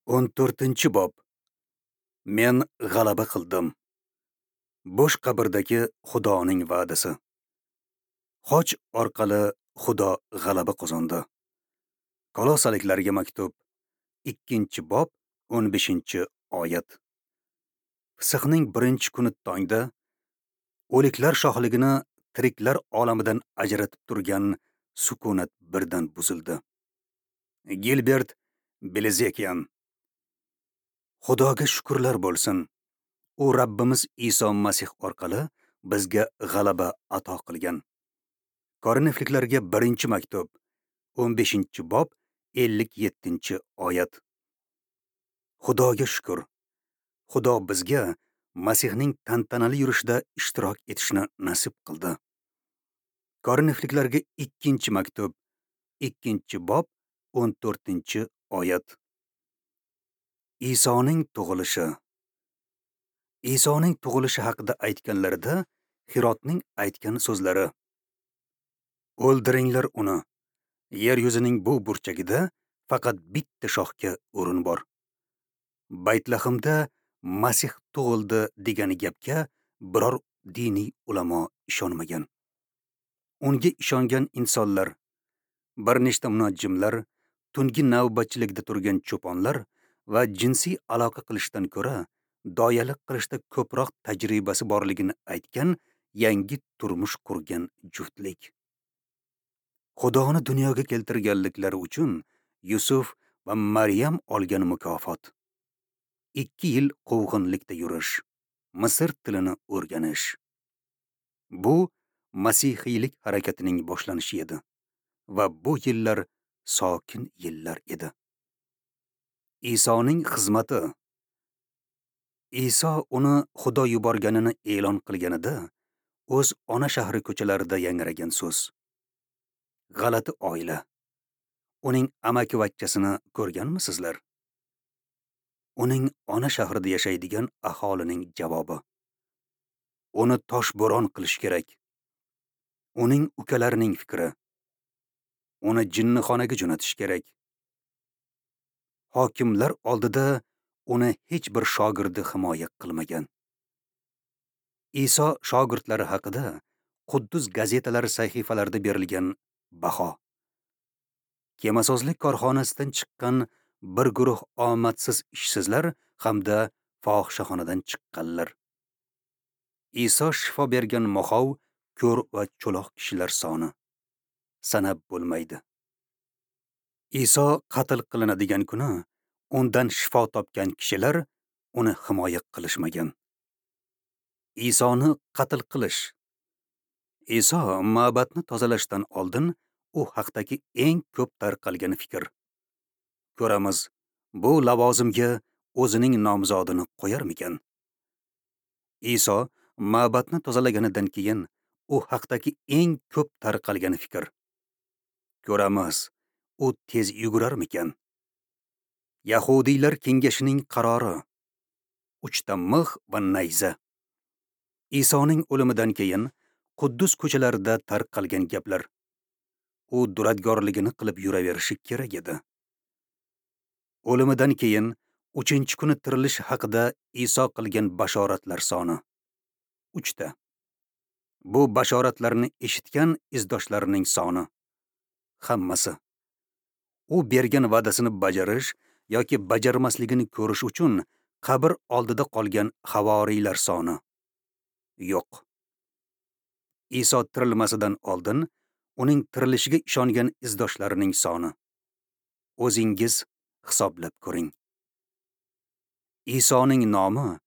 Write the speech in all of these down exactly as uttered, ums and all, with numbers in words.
O'n to'rtinchi bob. Men g'alaba qildim. Bo'sh qabrdagi Xudoning va'dasi. Xoch orqali Xudo g'alaba qozondi. Kolosaliklarga maktub, ikkinchi bob, o'n beshinchi oyat. Fisqning birinchi kuni tongda o'liklar shohligini tiriklar olamidan ajratib turgan sukunat birdan buzildi. Gilbert Bilezikian. Xudoga shukrlar bo'lsin. U Rabbimiz Iso Masih orqali bizga g'alaba ato qilgan. Korinfliklarga birinchi maktub, o'n beshinchi bob, ellik yettinchi oyat. Xudoga shukr. Xudo bizga Masihning tantanali yurishida ishtirok etishni nasib qildi. Korinfliklarga ikkinchi maktub, ikkinchi bob, o'n to'rtinchi oyat. Isoning tug'ilishi. Isoning tug'ilishi haqida aytganlarida Hirotning aytgan so'zlari: O'ldiringlar uni. Yer yuzining bu burchagida faqat bitta shohga o'rin bor. Baytlahimda Masih tug'ildi degan gapga biror diniy ulamo ishonmagan. Unga ishongan insonlar, bir nechta munajjimlar, tungi navbatchilikda turgan cho'ponlar va jinsiy aloqa qilishdan ko'ra doyalik qilishda ko'proq tajribasi borligini aytgan yangi turmush qurgan juftlik. Xudoni dunyoga keltirganliklari uchun Yusuf va Maryam olgan mukofot: ikki yil quvg'inlikda yurish, Misr tilini o'rganish. Bu masihiylik harakatining boshlanishi edi va bu yillar sokin yillar edi. Isoning xizmati. Iso uni Xudo yuborganini e'lon qilganida o'z ona shahri ko'chalarida yangragan so'z. G'alati oila. Uning amakivachchasini ko'rganmisizlar? Uning ona shahrida yashaydigan aholining javobi: uni toshbo'ron qilish kerak. Uning ukalarining fikri: uni jinnixonaga jo'natish kerak. Hokimlar oldida uni hech bir shogirdi himoya qilmagan. Iso shogirdlari haqida Quddus gazetalari sahifalarida berilgan baho. Kemasozlik korxonasidan chiqqan bir guruh omadsiz ishsizlar hamda fohishaxonadan chiqqanlar. Iso shifo bergan moxov, ko'r va cho'loq kishilar soni sanab bo'lmaydi. Iso qatl qilinadigan kuni undan shifo topgan kishilar uni himoya qilishmagan. Isoni qatl qilish. Iso ma'batni tozalashdan oldin u haqdagi eng ko'p tarqalgan fikr. Ko'ramiz, bu lavozimga o'zining nomzodini qo'yarmikan? Iso ma'batni tozalaganidan keyin u haqdagi eng ko'p tarqalgan fikr. Ko'ramiz, u tez yugurarmikan? Yahudiylar kengashining qarori. Uchta mix va nayza. Isoning o'limidan keyin Quddus ko'chalarida tarqalgan gaplar. U duradgorligini qilib yuraverishi kerak edi. O'limidan keyin uchinchi kuni tirilish haqida Iso qilgan bashoratlar soni uchta. Bu bashoratlarni eshitgan izdoshlarining soni hammasi. U bergan va'dasini bajarish yoki bajarmasligini ko'rish uchun qabr oldida qolgan havoriylar soni yo'q. Iso tirilmasidan oldin uning tirilishiga ishongan izdoshlarining soni. O'zingiz hisoblab ko'ring. Isoning nomi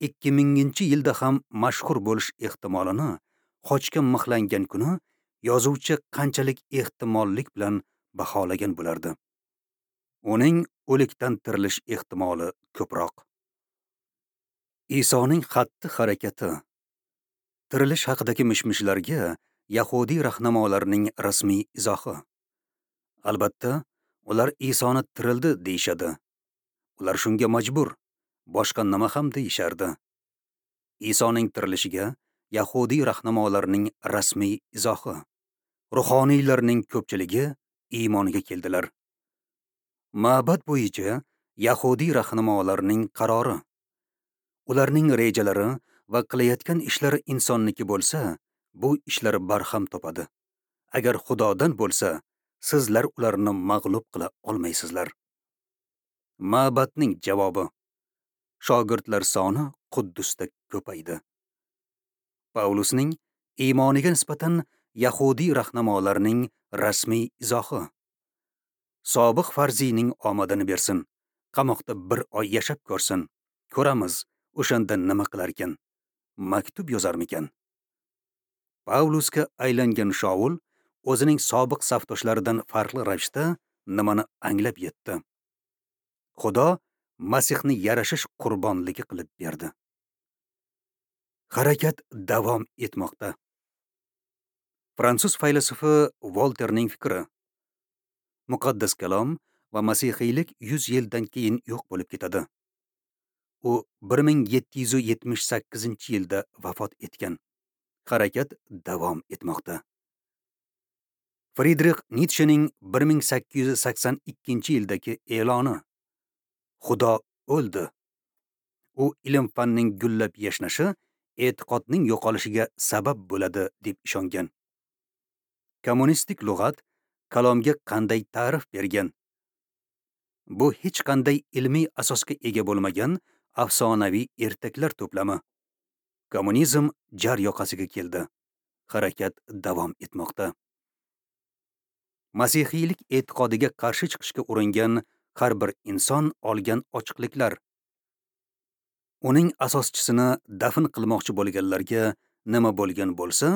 ikki minginchi yilda ham mashhur bo'lish ehtimolini xochga mixlangan kuni yozuvchi qanchalik ehtimollik bilan baholagan bo'lardi. Uning o'likdan tirilish ehtimoli ko'proq. Isoning xatti-harakati. Tirilish haqidagi mish-mishlarga yahudiy rahnamolarining rasmiy izohi. Albatta, ular Isoni tirildi deyishadi. Ular shunga majbur, boshqa nima ham deyishardi. Isoning tirilishiga yahudiy rahnamolarining rasmiy izohi. Ruhoniylarning ko'pchiligi iymonga keldilar. Ma'bad bo'yicha Yahudiy rahnamolarning qarori. Ularning rejalari va qilayotgan ishlari insonniki bo'lsa, bu ishlar barham topadi. Agar Xudodan bo'lsa, sizlar ularni mag'lub qila olmaysizlar. Ma'batning javobi. Shogirdlar soni Quddusda ko'paydi. Pavlusning iymoniga nisbatan yahudiy rahnamolarning rasmiy izohi. Sobiq farziyning omadini bersin. Qamoqda bir oy yashab ko'rsin. Ko'ramiz, o'shanda nima qilarkan? Maktub yozarmikan? Pavlusga aylangan Shaul o'zining sobiq safdoshlaridan farqli ravishda nimani anglab yetdi? Xudo Masihni yarashish qurbonligi qilib berdi. Harakat davom etmoqda. Fransuz faylasufi Volterning fikri. Muqaddas kalom va masihiylik yuz yildan keyin yo'q bo'lib ketadi. U bir ming yetti yuz yetmish sakkizinchi yilda vafot etgan. Harakat davom etmoqda. Fridrix Nitshening bir ming sakkiz yuz sakson ikkinchi yildagi e'loni. Xudo o'ldi. U ilm-fanning gullab yashnashi e'tiqodning yo'qolishiga sabab bo'ladi deb ishongan. Kommunistik lug'at kalomga qanday ta'rif bergan? Bu hech qanday ilmiy asosga ega bo'lmagan afsonaviy ertaklar to'plami. Kommunizm jar yoqasiga keldi. Harakat davom etmoqda. Masihiylik e'tiqodiga qarshi chiqishga uringan har bir inson olgan ochiqliklar. Uning asoschisini dafn qilmoqchi bo'lganlarga nima bo'lgan bo'lsa,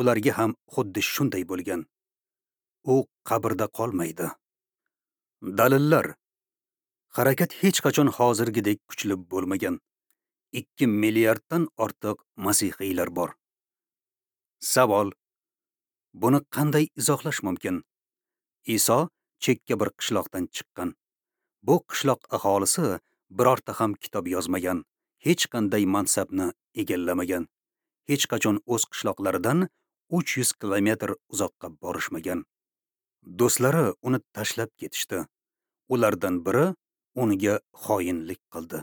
ularga ham xuddi shunday bo'lgan. U qabrda qolmaydi. Dalillar. Harakat hech qachon hozirgidek kuchli bo'lmagan. ikki milliarddan ortiq masihiylar bor. Savol. Buni qanday izohlash mumkin? Iso chekka bir qishloqdan chiqqan. Bu qishloq aholisi birorta ham kitob yozmagan, hech qanday mansabni egallamagan, hech qachon o'z qishloqlaridan uch yuz kilometr uzoqqa borishmagan. Do'stlari uni tashlab ketishdi. Ulardan biri unga xoinlik qildi.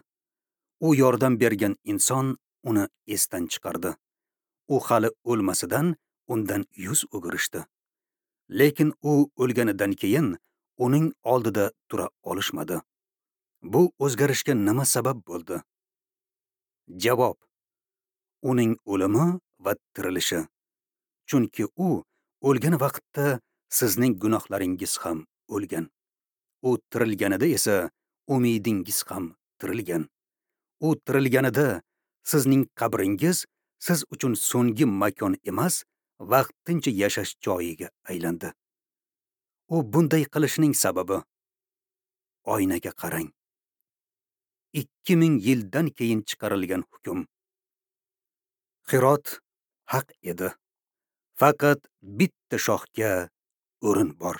U yordam bergan inson uni esdan chiqardi. U hali o'lmasidan undan yuz o'girishdi. Lekin u o'lganidan keyin uning oldida tura olishmadi. Bu o'zgarishga nima sabab bo'ldi? Javob: uning o'limi va tirilishi. Chunki u o'lgan vaqtda sizning gunohlaringiz ham o'lgan. U tirilganida esa umidingiz ham tirilgan. U tirilganida sizning qabringiz siz uchun so'nggi makon emas, vaqtincha yashash joyiga aylandi. U bunday qilishining sababi oynaga qarang. ikki ming yildan keyin chiqarilgan hukm. Xirot haq edi. Faqat bitta shohga o'rin bor.